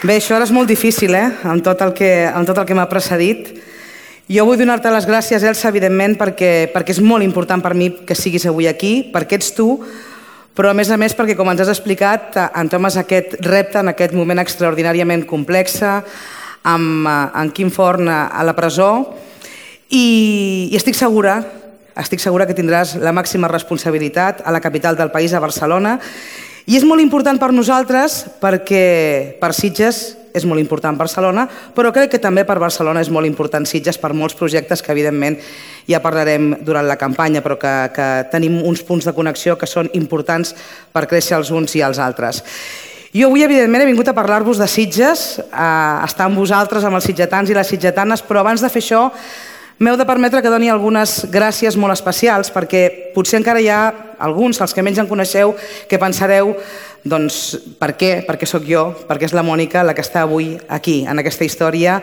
Bé, això ara és molt difícil, amb tot el que m'ha precedit. Jo vull donar-te les gràcies, Elsa, evidentment, perquè és molt important per mi que siguis avui aquí, perquè ets tu, però a més perquè, com ens has explicat, entomes aquest repte en aquest moment extraordinàriament complex, amb en Quim Forn a la presó, i estic segura que tindràs la màxima responsabilitat a la capital del país, a Barcelona. I és molt important per nosaltres perquè per Sitges és molt important Barcelona, però crec que també per Barcelona és molt important Sitges per molts projectes que evidentment ja parlarem durant la campanya, però que tenim uns punts de connexió que són importants per créixer els uns i els altres. Jo avui evidentment he vingut a parlar-vos de Sitges, a estar amb vosaltres, amb els sitgetans i les sitgetanes, però abans de fer això m'heu de permetre que doni algunes gràcies molt especials, perquè potser encara hi ha alguns, els que menys en coneixeu, que pensareu, doncs, per què? Perquè sóc jo, perquè és la Mònica la que està avui aquí, en aquesta història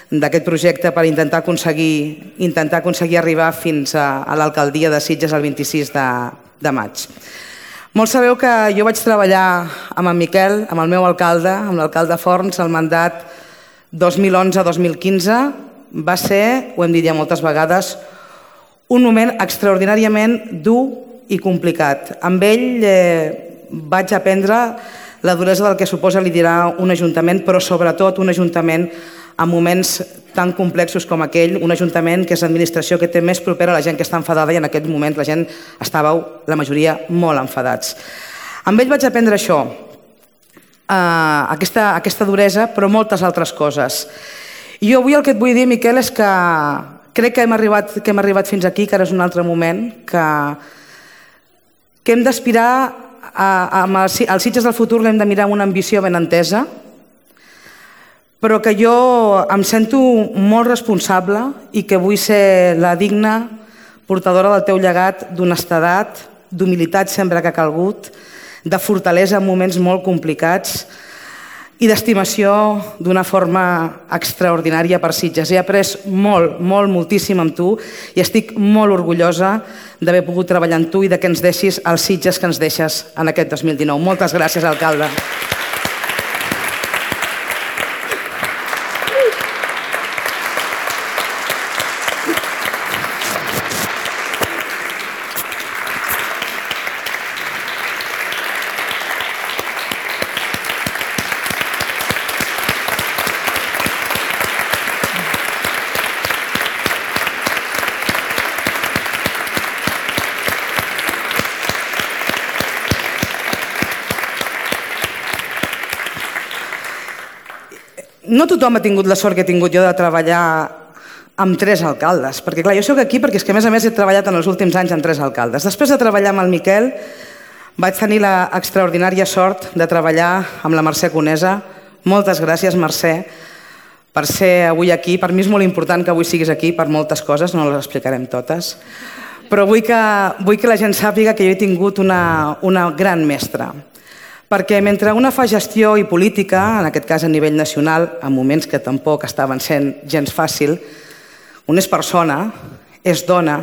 d'aquest projecte per intentar aconseguir arribar fins a l'alcaldia de Sitges el 26 de maig. Molts sabeu que jo vaig treballar amb en Miquel, amb el meu alcalde, amb l'alcalde Forns, el mandat 2011-2015, va ser, ho hem dit ja moltes vegades, un moment extraordinàriament dur i complicat. Amb ell vaig aprendre la duresa del que suposa liderar un ajuntament, però sobretot un ajuntament en moments tan complexos com aquell, un ajuntament que és l'administració que té més propera a la gent que està enfadada i en aquest moment la gent estàveu, la majoria, molt enfadats. Amb ell vaig aprendre això, aquesta duresa, però moltes altres coses. I jo avui el que et vull dir, Miquel, és que crec que hem arribat fins aquí, que ara és un altre moment, que hem d'aspirar, als Sitges del futur l'hem de mirar amb una ambició ben entesa, però que jo em sento molt responsable i que vull ser la digna portadora del teu llegat d'honestedat, d'humilitat sempre que ha calgut, de fortalesa en moments molt complicats, i d'estimació d'una forma extraordinària per Sitges. He après moltíssim amb tu i estic molt orgullosa d'haver pogut treballar amb tu i que ens deixis els Sitges que ens deixes en aquest 2019. Moltes gràcies, alcalde. No tothom ha tingut la sort que he tingut jo de treballar amb 3 alcaldes, perquè clar, jo soc aquí perquè és que a més he treballat en els últims anys amb 3 alcaldes. Després de treballar amb el Miquel vaig tenir l'extraordinària sort de treballar amb la Mercè Conesa. Moltes gràcies, Mercè, per ser avui aquí. Per mi és molt important que avui siguis aquí per moltes coses, no les explicarem totes, però vull que la gent sàpiga que jo he tingut una gran mestra. Perquè mentre una fa gestió i política, en aquest cas a nivell nacional, en moments que tampoc estaven sent gens fàcil, una és persona, és dona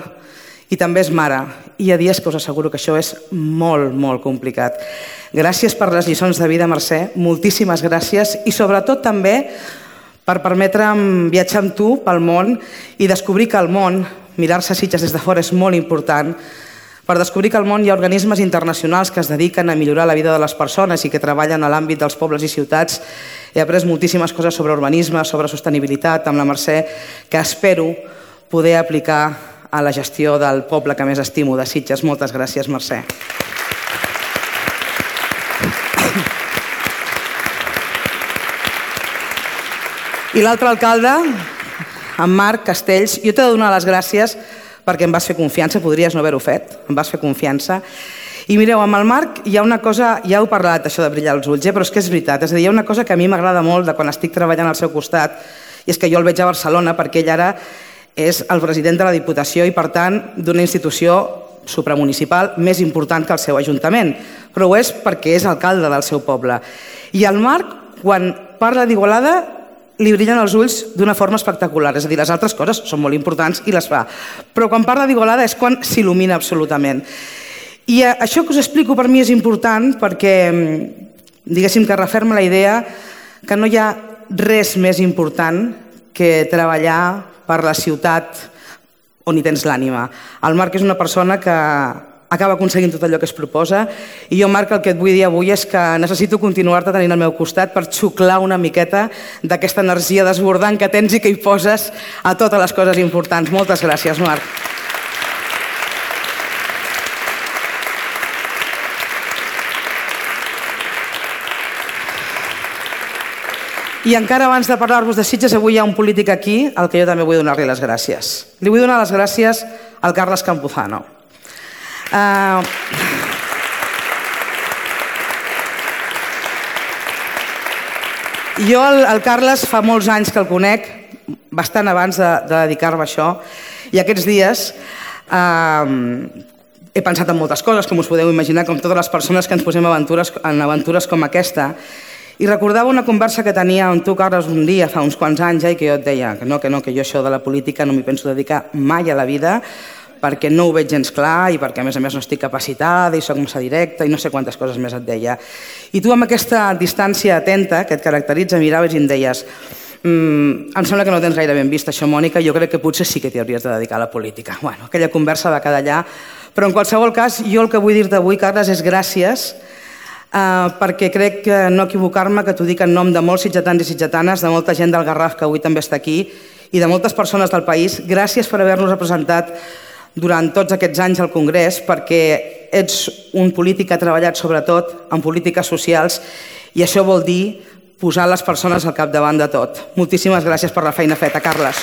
i també és mare. I hi ha dies que us asseguro que això és molt complicat. Gràcies per les lliçons de vida, Mercè, moltíssimes gràcies i sobretot també per permetre'm viatjar amb tu pel món i descobrir que el món, mirar-se Sitges des de fora és molt important, per descobrir que al món hi ha organismes internacionals que es dediquen a millorar la vida de les persones i que treballen a l'àmbit dels pobles i ciutats. He après moltíssimes coses sobre urbanisme, sobre sostenibilitat amb la Mercè, que espero poder aplicar a la gestió del poble que més estimo, de Sitges. Moltes gràcies, Mercè. I l'altre alcalde, en Marc Castells, jo t'he de donar les gràcies perquè em vas fer confiança, podries no haver-ho fet, em vas fer confiança. I mireu, amb el Marc hi ha una cosa, ja heu parlat això de brillar els ulls, però és que és veritat, és a dir, hi ha una cosa que a mi m'agrada molt de quan estic treballant al seu costat, i és que jo el veig a Barcelona perquè ell ara és el president de la Diputació i, per tant, d'una institució supramunicipal més important que el seu ajuntament, però ho és perquè és alcalde del seu poble. I el Marc, quan parla d'Igualada, li brillen els ulls d'una forma espectacular. És a dir, les altres coses són molt importants i les fa. Però quan parla d'Igualada és quan s'il·lumina absolutament. I això que us explico per mi és important perquè diguéssim que referma la idea que no hi ha res més important que treballar per la ciutat on hi tens l'ànima. El Marc és una persona que acaba aconseguint tot allò que es proposa i jo, Marc, el que et vull dir avui és que necessito continuar-te tenint al meu costat per xuclar una miqueta d'aquesta energia desbordant que tens i que hi poses a totes les coses importants. Moltes gràcies, Marc. I encara abans de parlar-vos de Sitges, avui hi ha un polític aquí al que jo també vull donar-li les gràcies. Li vull donar les gràcies al Carles Campuzano. Jo el Carles fa molts anys que el conec, bastant abans de dedicar-me a això, i aquests dies he pensat en moltes coses, com us podeu imaginar, com totes les persones que ens posem en aventures com aquesta. I recordava una conversa que tenia amb tu, Carles, un dia, fa uns quants anys, i que jo et deia que no, que jo això de la política no m'hi penso dedicar mai a la vida, perquè no ho veig gens clar i perquè, a més, no estic capacitada i soc massa directa i no sé quantes coses més et deia. I tu, amb aquesta distància atenta que et caracteritza, miraves i em deies em sembla que no tens gaire ben vist això, Mònica, jo crec que potser sí que t'hi hauries de dedicar a la política. Bueno, aquella conversa va quedar allà, però en qualsevol cas, jo el que vull dir-te avui, Carles, és gràcies perquè crec que no equivocar-me, que t'ho dic en nom de molts sitgetans i sitgetanes, de molta gent del Garraf que avui també està aquí i de moltes persones del país. Gràcies per haver-nos representat durant tots aquests anys al Congrés, perquè ets un polític que ha treballat sobretot en polítiques socials i això vol dir posar les persones al capdavant de tot. Moltíssimes gràcies per la feina feta, Carles.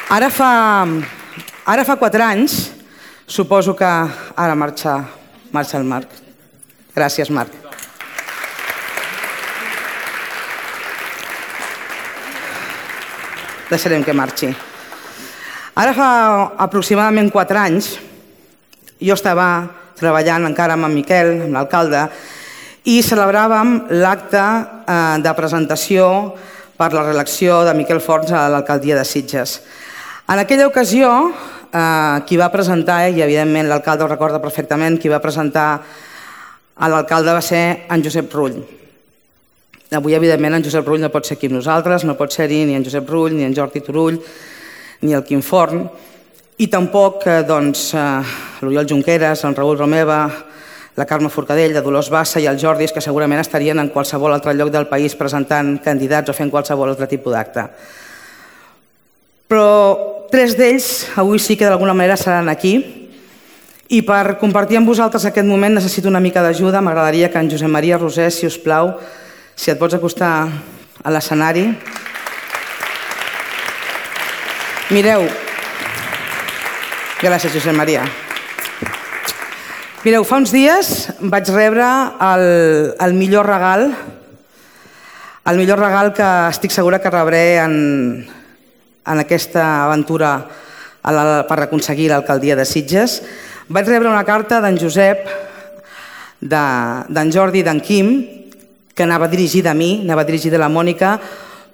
Ara fa 4 anys, suposo que ara marxa el Marc. Gràcies, Marc. Deixarem que marxi. Ara fa aproximadament 4 anys, jo estava treballant encara amb en Miquel, amb l'alcalde, i celebràvem l'acte de presentació per la reelecció de Miquel Forns a l'alcaldia de Sitges. En aquella ocasió, qui va presentar, i evidentment l'alcalde ho recorda perfectament, qui va presentar a l'alcalde va ser en Josep Rull. Avui, evidentment, en Josep Rull no pot ser aquí amb nosaltres, no pot ser-hi ni en Josep Rull, ni en Jordi Turull, ni el Quim Forn, i tampoc l'Oriol Junqueras, en Raül Romeva, la Carme Forcadell, la Dolors Bassa i el Jordi, que segurament estarien en qualsevol altre lloc del país presentant candidats o fent qualsevol altre tipus d'acte. Però 3 d'ells avui sí que d'alguna manera seran aquí i per compartir amb vosaltres aquest moment necessito una mica d'ajuda. M'agradaria que en Josep Maria Rosés, si us plau, si et pots acostar a l'escenari. Mireu, gràcies Josep Maria. Mireu, fa uns dies vaig rebre el millor regal que estic segura que rebré en aquesta aventura per aconseguir l'alcaldia de Sitges. Vaig rebre una carta d'en Josep, d'en Jordi i d'en Quim, que anava dirigida a mi, anava dirigida a la Mònica,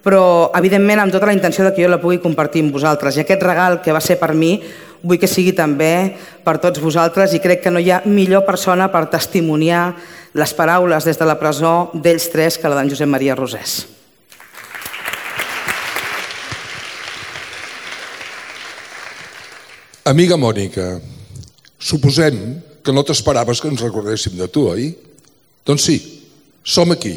però evidentment amb tota la intenció que jo la pugui compartir amb vosaltres. I aquest regal que va ser per mi vull que sigui també per tots vosaltres i crec que no hi ha millor persona per testimoniar les paraules des de la presó d'ells 3 que la d'en Josep Maria Rosés. Amiga Mònica, suposem que no t'esperaves que ens recordéssim de tu, oi? Doncs sí, som aquí.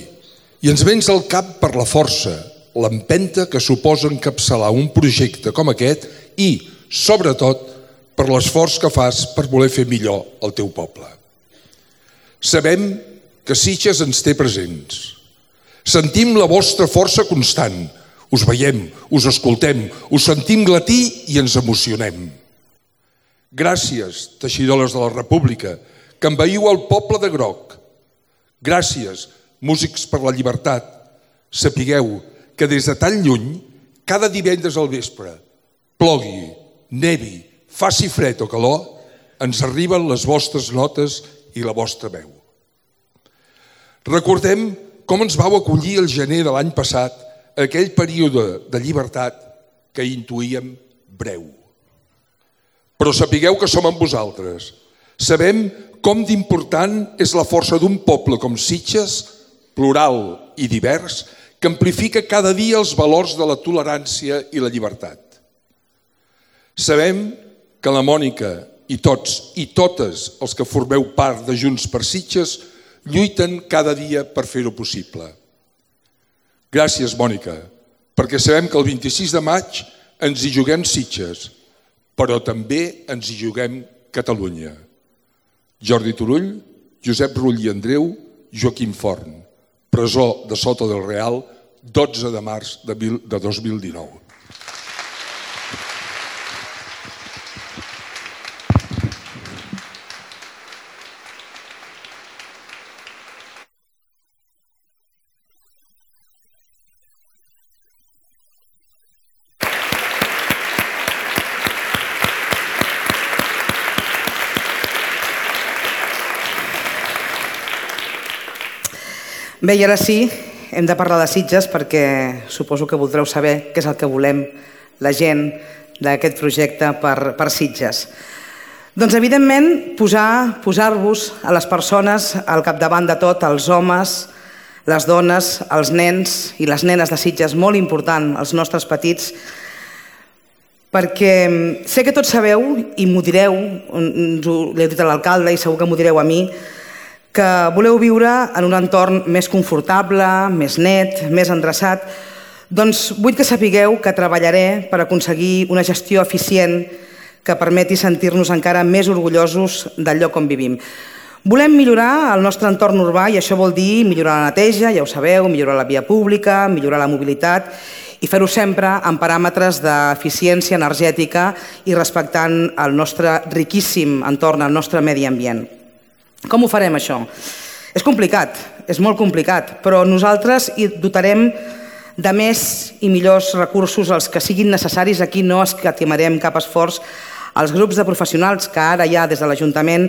I ens vens al cap per la força, l'empenta que suposa encapçalar un projecte com aquest i, sobretot, per l'esforç que fas per voler fer millor el teu poble. Sabem que Sitges ens té presents. Sentim la vostra força constant. Us veiem, us escoltem, us sentim glatir i ens emocionem. Gràcies, teixidores de la República, que envaïu el poble de groc. Gràcies, músics per la llibertat. Sapigueu que des de tan lluny, cada divendres al vespre, plogui, nevi, faci fred o calor, ens arriben les vostres notes i la vostra veu. Recordem com ens vau acollir el gener de l'any passat, aquell període de llibertat que intuïem breu. Però sapigueu que som amb vosaltres. Sabem com d'important és la força d'un poble com Sitges, plural i divers, que amplifica cada dia els valors de la tolerància i la llibertat. Sabem que la Mònica i tots i totes els que formeu part de Junts per Sitges lluiten cada dia per fer-ho possible. Gràcies, Mònica, perquè sabem que el 26 de maig ens hi juguem Sitges, però també ens hi juguem Catalunya. Jordi Turull, Josep Rull i Andreu, Joaquim Forn, presó de Soto del Real, 12 de març de 2019. Bé, i ara sí, hem de parlar de Sitges perquè suposo que voldreu saber què és el que volem la gent d'aquest projecte per Sitges. Doncs, evidentment, posar-vos a les persones al capdavant de tot, els homes, les dones, els nens i les nenes de Sitges, molt important, els nostres petits, perquè sé que tots sabeu, i m'ho direu, l'he dit a l'alcalde i segur que m'ho direu a mi, que voleu viure en un entorn més confortable, més net, més endreçat, doncs vull que sapigueu que treballaré per aconseguir una gestió eficient que permeti sentir-nos encara més orgullosos del lloc on vivim. Volem millorar el nostre entorn urbà i això vol dir millorar la neteja, ja ho sabeu, millorar la via pública, millorar la mobilitat i fer-ho sempre en paràmetres d'eficiència energètica i respectant el nostre riquíssim entorn, el nostre medi ambient. Com ho farem, això? És complicat, és molt complicat, però nosaltres hi dotarem de més i millors recursos els que siguin necessaris. Aquí no escatimarem cap esforç. Els grups de professionals que ara ja des de l'Ajuntament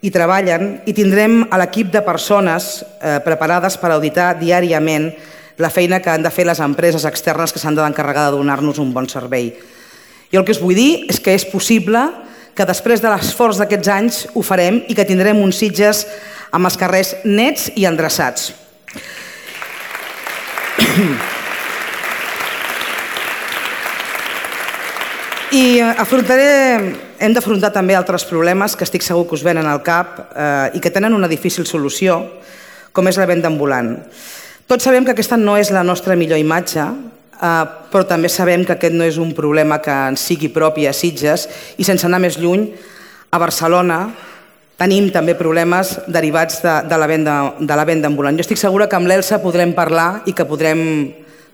hi treballen i tindrem a l'equip de persones preparades per auditar diàriament la feina que han de fer les empreses externes que s'han d'encarregar de donar-nos un bon servei. I el que us vull dir és que és possible que després de l'esforç d'aquests anys ho farem i que tindrem uns Sitges amb els carrers nets i endreçats. I hem d'afrontar també altres problemes que estic segur que us venen al cap i que tenen una difícil solució, com és la venda ambulant. Tots sabem que aquesta no és la nostra millor imatge, però també sabem que aquest no és un problema que ens sigui propi a Sitges i sense anar més lluny, a Barcelona tenim també problemes derivats de la venda ambulant. Jo estic segura que amb l'Elsa podrem parlar i que podrem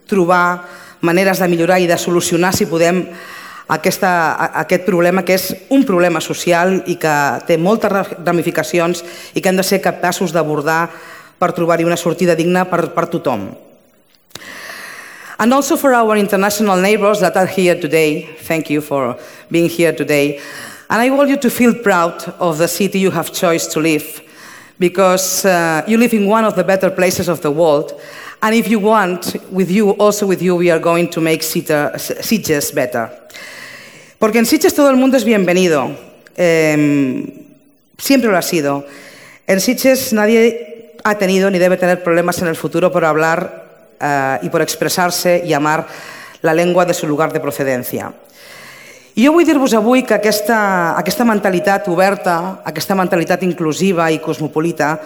trobar maneres de millorar i de solucionar, si podem, aquest problema, que és un problema social i que té moltes ramificacions i que hem de ser capaços d'abordar per trobar-hi una sortida digna per tothom. And also for our international neighbors that are here today, thank you for being here today. And I want you to feel proud of the city you have chosen to live, because you live in one of the better places of the world. And if you want, also with you, we are going to make Sitges better. Porque en Sitges todo el mundo es bienvenido. Siempre lo ha sido. En Sitges nadie ha tenido ni debe tener problemas en el futuro por hablar y por expressar-se i amar la llengua de su lugar de procedència. I jo vull dir-vos avui que aquesta mentalitat oberta, aquesta mentalitat inclusiva i cosmopolita,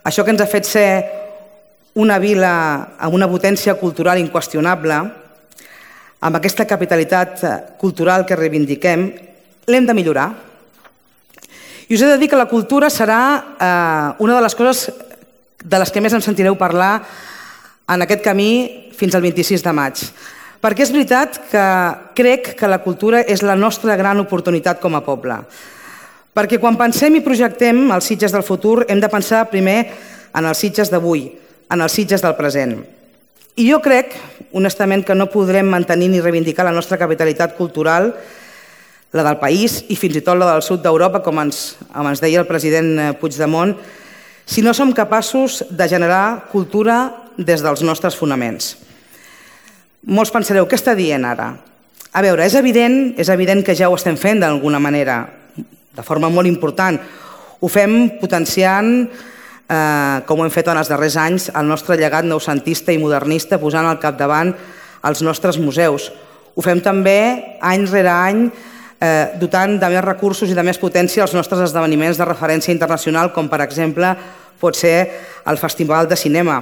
això que ens ha fet ser una vila amb una potència cultural inqüestionable, amb aquesta capitalitat cultural que reivindiquem, l'hem de millorar. I us he de dir que la cultura serà una de les coses de les que més em sentireu parlar en aquest camí fins al 26 de maig. Perquè és veritat que crec que la cultura és la nostra gran oportunitat com a poble. Perquè quan pensem i projectem els Sitges del futur hem de pensar primer en els Sitges d'avui, en els Sitges del present. I jo crec, honestament, que no podrem mantenir ni reivindicar la nostra capitalitat cultural, la del país i fins i tot la del sud d'Europa, com ens deia el president Puigdemont, si no som capaços de generar cultura des dels nostres fonaments. Molts pensareu, què està dient ara? A veure, és evident que ja ho estem fent d'alguna manera, de forma molt important. Ho fem potenciant, com ho hem fet en els darrers anys, el nostre llegat noucentista i modernista, posant al capdavant els nostres museus. Ho fem també, any rere any, dotant de més recursos i de més potència els nostres esdeveniments de referència internacional, com per exemple pot ser el Festival de Cinema.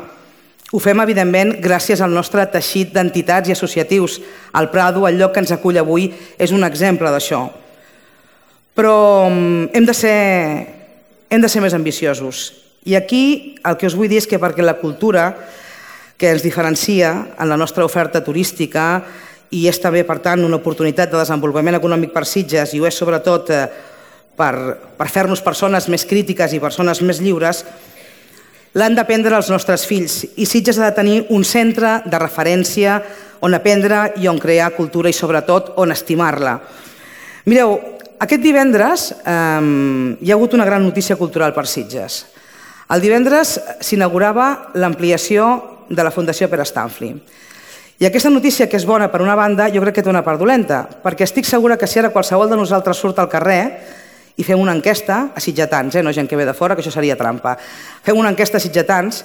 Ho fem, evidentment, gràcies al nostre teixit d'entitats i associatius. El Prado, el lloc que ens acull avui, és un exemple d'això. Però hem de ser més ambiciosos. I aquí el que us vull dir és que perquè la cultura que ens diferencia en la nostra oferta turística i és també, per tant, una oportunitat de desenvolupament econòmic per Sitges i ho és sobretot per fer-nos persones més crítiques i persones més lliures, l'han d'aprendre els nostres fills i Sitges ha de tenir un centre de referència on aprendre i on crear cultura i sobretot on estimar-la. Mireu, aquest divendres hi ha hagut una gran notícia cultural per Sitges. El divendres s'inaugurava l'ampliació de la Fundació Pere Stanfli. I aquesta notícia, que és bona per una banda, jo crec que té una part dolenta, perquè estic segura que si ara qualsevol de nosaltres surt al carrer i fem una enquesta a sitgetans, no gent que ve de fora, que això seria trampa. Fem una enquesta a sitgetans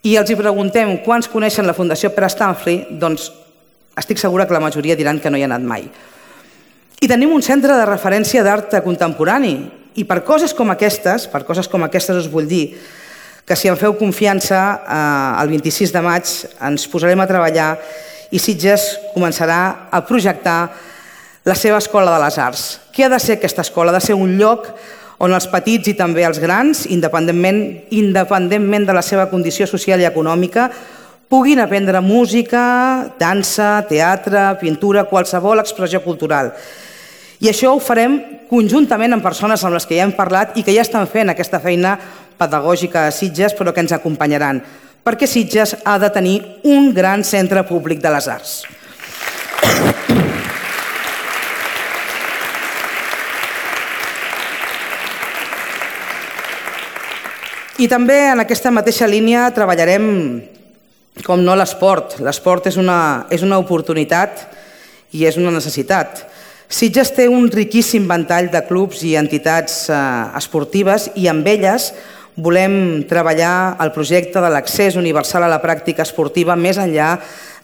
i els hi preguntem quants coneixen la Fundació Pere Stanfli, doncs estic segura que la majoria diran que no hi ha anat mai. I tenim un centre de referència d'art contemporani i per coses com aquestes us vull dir que si em feu confiança, el 26 de maig ens posarem a treballar i Sitges començarà a projectar la seva Escola de les Arts. Què ha de ser aquesta escola? Ha de ser un lloc on els petits i també els grans, independentment de la seva condició social i econòmica, puguin aprendre música, dansa, teatre, pintura, qualsevol expressió cultural. I això ho farem conjuntament amb persones amb les que ja hem parlat i que ja estan fent aquesta feina pedagògica a Sitges, però que ens acompanyaran, perquè Sitges ha de tenir un gran centre públic de les arts. I també en aquesta mateixa línia treballarem, com no, l'esport. L'esport és una oportunitat i és una necessitat. Sitges té un riquíssim ventall de clubs i entitats esportives i amb elles volem treballar el projecte de l'accés universal a la pràctica esportiva més enllà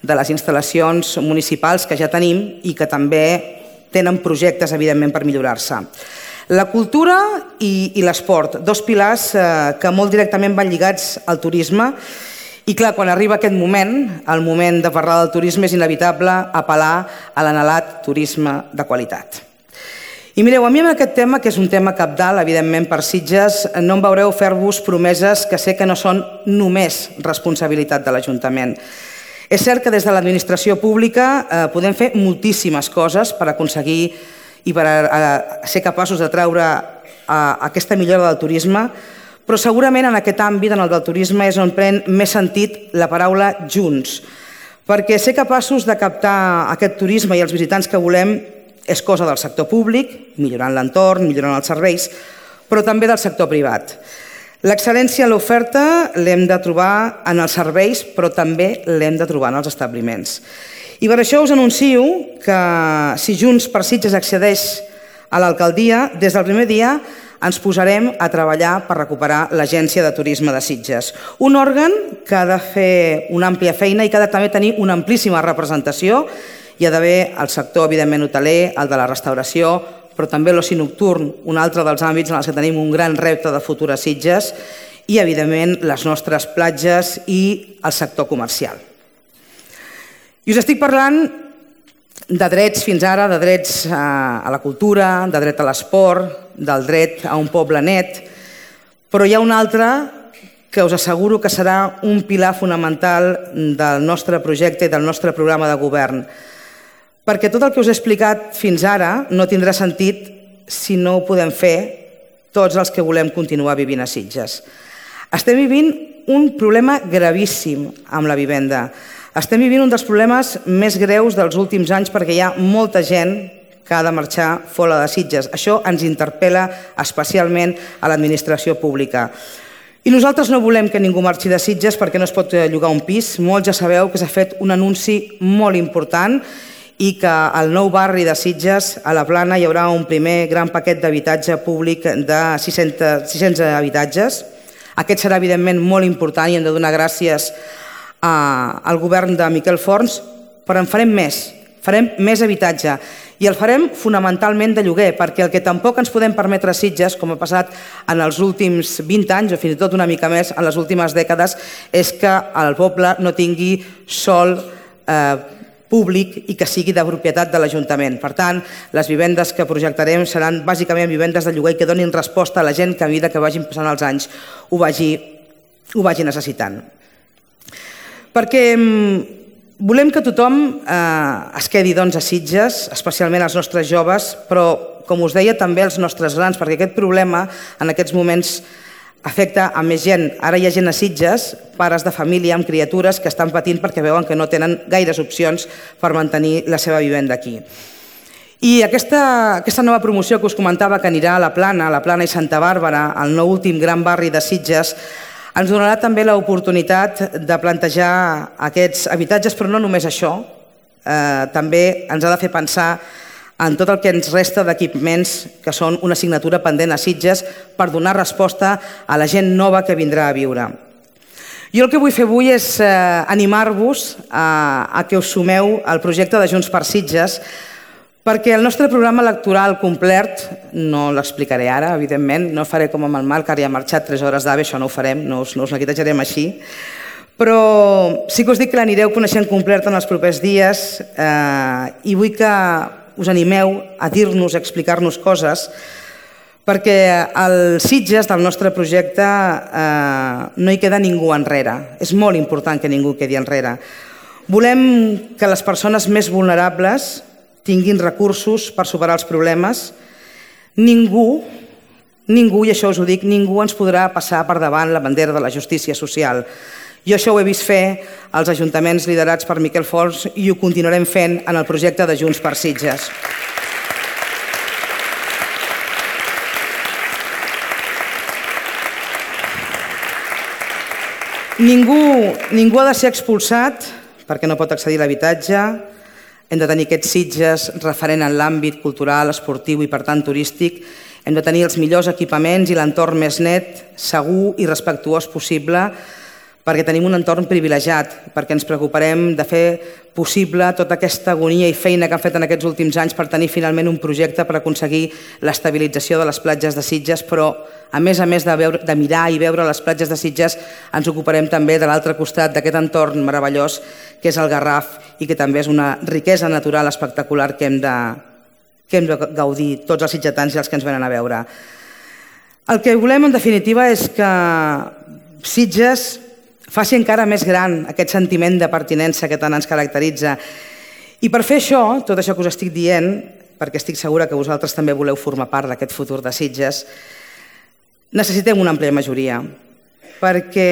de les instal·lacions municipals que ja tenim i que també tenen projectes, evidentment, per millorar-se. La cultura i l'esport, dos pilars que molt directament van lligats al turisme i clar, quan arriba aquest moment, el moment de parlar del turisme, és inevitable apel·lar a l'anhelat turisme de qualitat. I mireu, a mi amb aquest tema, que és un tema cabdal, evidentment, per Sitges, no em veureu fer-vos promeses que sé que no són només responsabilitat de l'Ajuntament. És cert que des de l'administració pública podem fer moltíssimes coses per aconseguir i per ser capaços de treure aquesta millora del turisme, però segurament en aquest àmbit, en el del turisme, és on pren més sentit la paraula junts, perquè ser capaços de captar aquest turisme i els visitants que volem és cosa del sector públic, millorant l'entorn, millorant els serveis, però també del sector privat. L'excel·lència en l'oferta l'hem de trobar en els serveis, però també l'hem de trobar en els establiments. I per això us anuncio que si Junts per Sitges accedeix a l'alcaldia, des del primer dia ens posarem a treballar per recuperar l'Agència de Turisme de Sitges. Un òrgan que ha de fer una àmplia feina i que ha de també tenir una amplíssima representació. Hi ha d'haver el sector, evidentment, hoteler, el de la restauració, però també l'oci nocturn, un altre dels àmbits en els que tenim un gran repte de futur a Sitges, i, evidentment, les nostres platges i el sector comercial. I us estic parlant de drets fins ara, de drets a la cultura, de dret a l'esport, del dret a un poble net, però hi ha un altre que us asseguro que serà un pilar fonamental del nostre projecte i del nostre programa de govern. Perquè tot el que us he explicat fins ara no tindrà sentit si no ho podem fer tots els que volem continuar vivint a Sitges. Estem vivint un problema gravíssim amb la vivenda. Estem vivint un dels problemes més greus dels últims anys perquè hi ha molta gent que ha de marxar fora de Sitges. Això ens interpel·la especialment a l'administració pública. I nosaltres no volem que ningú marxi de Sitges perquè no es pot llogar un pis. Molts ja sabeu que s'ha fet un anunci molt important i que al nou barri de Sitges, a la Plana, hi haurà un primer gran paquet d'habitatge públic de 600 habitatges. Aquest serà, evidentment, molt important i hem de donar gràcies al govern de Miquel Forns, però en farem més habitatge i el farem fonamentalment de lloguer, perquè el que tampoc ens podem permetre a Sitges, com ha passat en els últims 20 anys o fins i tot una mica més en les últimes dècades, és que el poble no tingui sòl públic i que sigui de propietat de l'Ajuntament. Per tant, les vivendes que projectarem seran bàsicament vivendes de lloguer que donin resposta a la gent que a mesura que vagin passant els anys ho vagi necessitant. Perquè volem que tothom es quedi a Sitges, especialment els nostres joves, però, com us deia, també els nostres grans, perquè aquest problema en aquests moments afecta a més gent. Ara hi ha gent a Sitges, pares de família amb criatures que estan patint perquè veuen que no tenen gaires opcions per mantenir la seva vivenda aquí. I aquesta nova promoció que us comentava que anirà a la Plana i Santa Bàrbara, el nou últim gran barri de Sitges, ens donarà també l'oportunitat de plantejar aquests habitatges, però no només això, també ens ha de fer pensar en tot el que ens resta d'equipaments que són una assignatura pendent a Sitges per donar resposta a la gent nova que vindrà a viure. Jo el que vull fer avui és animar-vos a que us sumeu al projecte de Junts per Sitges, perquè el nostre programa electoral complet, no l'explicaré ara, evidentment, no faré com amb el Marc, ara ja ha marxat 3 hores d'AVE, això no ho farem, no us neguitejarem així, però sí que us dic que l'anireu coneixent complet en els propers dies i vull que us animeu a dir-nos, a explicar-nos coses, perquè al Sitges del nostre projecte no hi queda ningú enrere. És molt important que ningú quedi enrere. Volem que les persones més vulnerables tinguin recursos per superar els problemes. Ningú, i això us ho dic, ningú ens podrà passar per davant la bandera de la justícia social. Jo això ho he vist fer als ajuntaments liderats per Miquel Forns i ho continuarem fent en el projecte de Junts per Sitges. Ningú ha de ser expulsat perquè no pot accedir a l'habitatge. Hem de tenir aquests Sitges referent en l'àmbit cultural, esportiu i, per tant, turístic. Hem de tenir els millors equipaments i l'entorn més net, segur i respectuós possible, perquè tenim un entorn privilegiat, perquè ens preocuparem de fer possible tota aquesta agonia i feina que han fet en aquests últims anys per tenir finalment un projecte per aconseguir l'estabilització de les platges de Sitges, però a més de mirar i veure les platges de Sitges, ens ocuparem també de l'altre costat d'aquest entorn meravellós que és el Garraf i que també és una riquesa natural espectacular que hem de gaudir tots els sitgetans i els que ens venen a veure. El que volem, en definitiva, és que Sitges faci encara més gran aquest sentiment de pertinença que tant ens caracteritza. I per fer això, tot això que us estic dient, perquè estic segura que vosaltres també voleu formar part d'aquest futur de Sitges, necessitem una àmplia majoria, perquè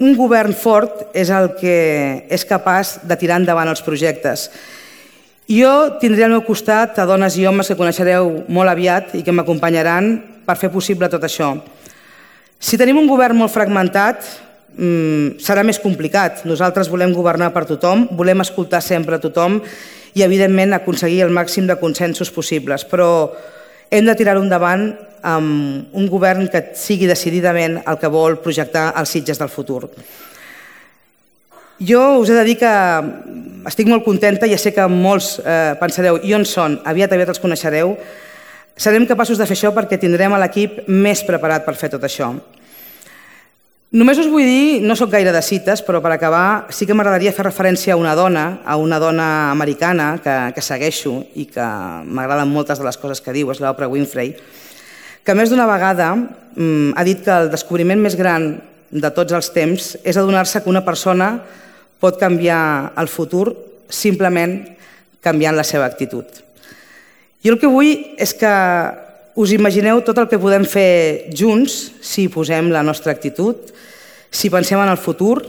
un govern fort és el que és capaç de tirar endavant els projectes. Jo tindré al meu costat a dones i homes que coneixereu molt aviat i que m'acompanyaran per fer possible tot això. Si tenim un govern molt fragmentat, serà més complicat. Nosaltres volem governar per tothom, volem escoltar sempre a tothom i, evidentment, aconseguir el màxim de consensos possibles. Però hem de tirar-ho endavant amb un govern que sigui decididament el que vol projectar els Sitges del futur. Jo us he de dir que estic molt contenta, ja sé que molts pensareu i on són, aviat els coneixereu. Serem capaços de fer això perquè tindrem l'equip més preparat per fer tot això. Només us vull dir, no soc gaire de cites, però per acabar sí que m'agradaria fer referència a una dona americana que segueixo i que m'agraden moltes de les coses que diu, és l'Oprah Winfrey, que més d'una vegada ha dit que el descobriment més gran de tots els temps és adonar-se que una persona pot canviar el futur simplement canviant la seva actitud. Jo el que vull és que us imagineu tot el que podem fer junts si posem la nostra actitud, si pensem en el futur,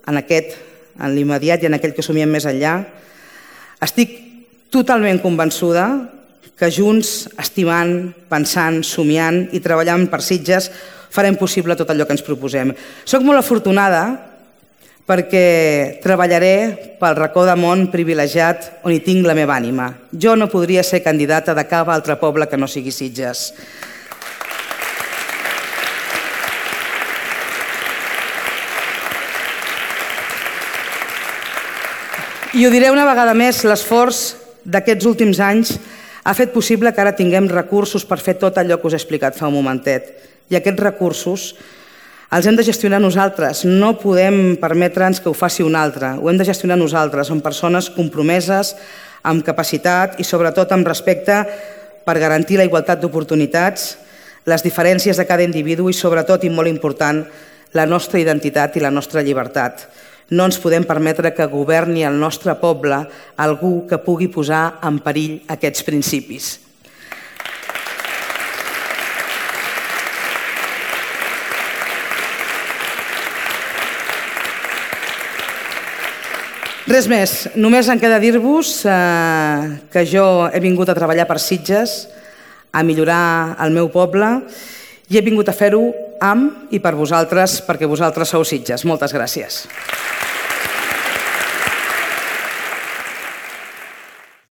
en l'immediat i en aquell que somiem més enllà. Estic totalment convençuda que junts, estimant, pensant, somiant i treballant per Sitges, farem possible tot allò que ens proposem. Soc molt afortunada perquè treballaré pel racó de món privilegiat on hi tinc la meva ànima. Jo no podria ser candidata de cap altre poble que no sigui Sitges. I ho diré una vegada més, l'esforç d'aquests últims anys ha fet possible que ara tinguem recursos per fer tot allò que us he explicat fa un momentet. I aquests recursos els hem de gestionar nosaltres. No podem permetre'ns que ho faci un altre. Ho hem de gestionar nosaltres. Som persones compromeses, amb capacitat i sobretot amb respecte per garantir la igualtat d'oportunitats, les diferències de cada individu i sobretot, i molt important, la nostra identitat i la nostra llibertat. No ens podem permetre que governi el nostre poble algú que pugui posar en perill aquests principis. Res més, només em queda dir-vos que jo he vingut a treballar per Sitges, a millorar el meu poble i he vingut a fer-ho amb i per vosaltres, perquè vosaltres sou Sitges. Moltes gràcies.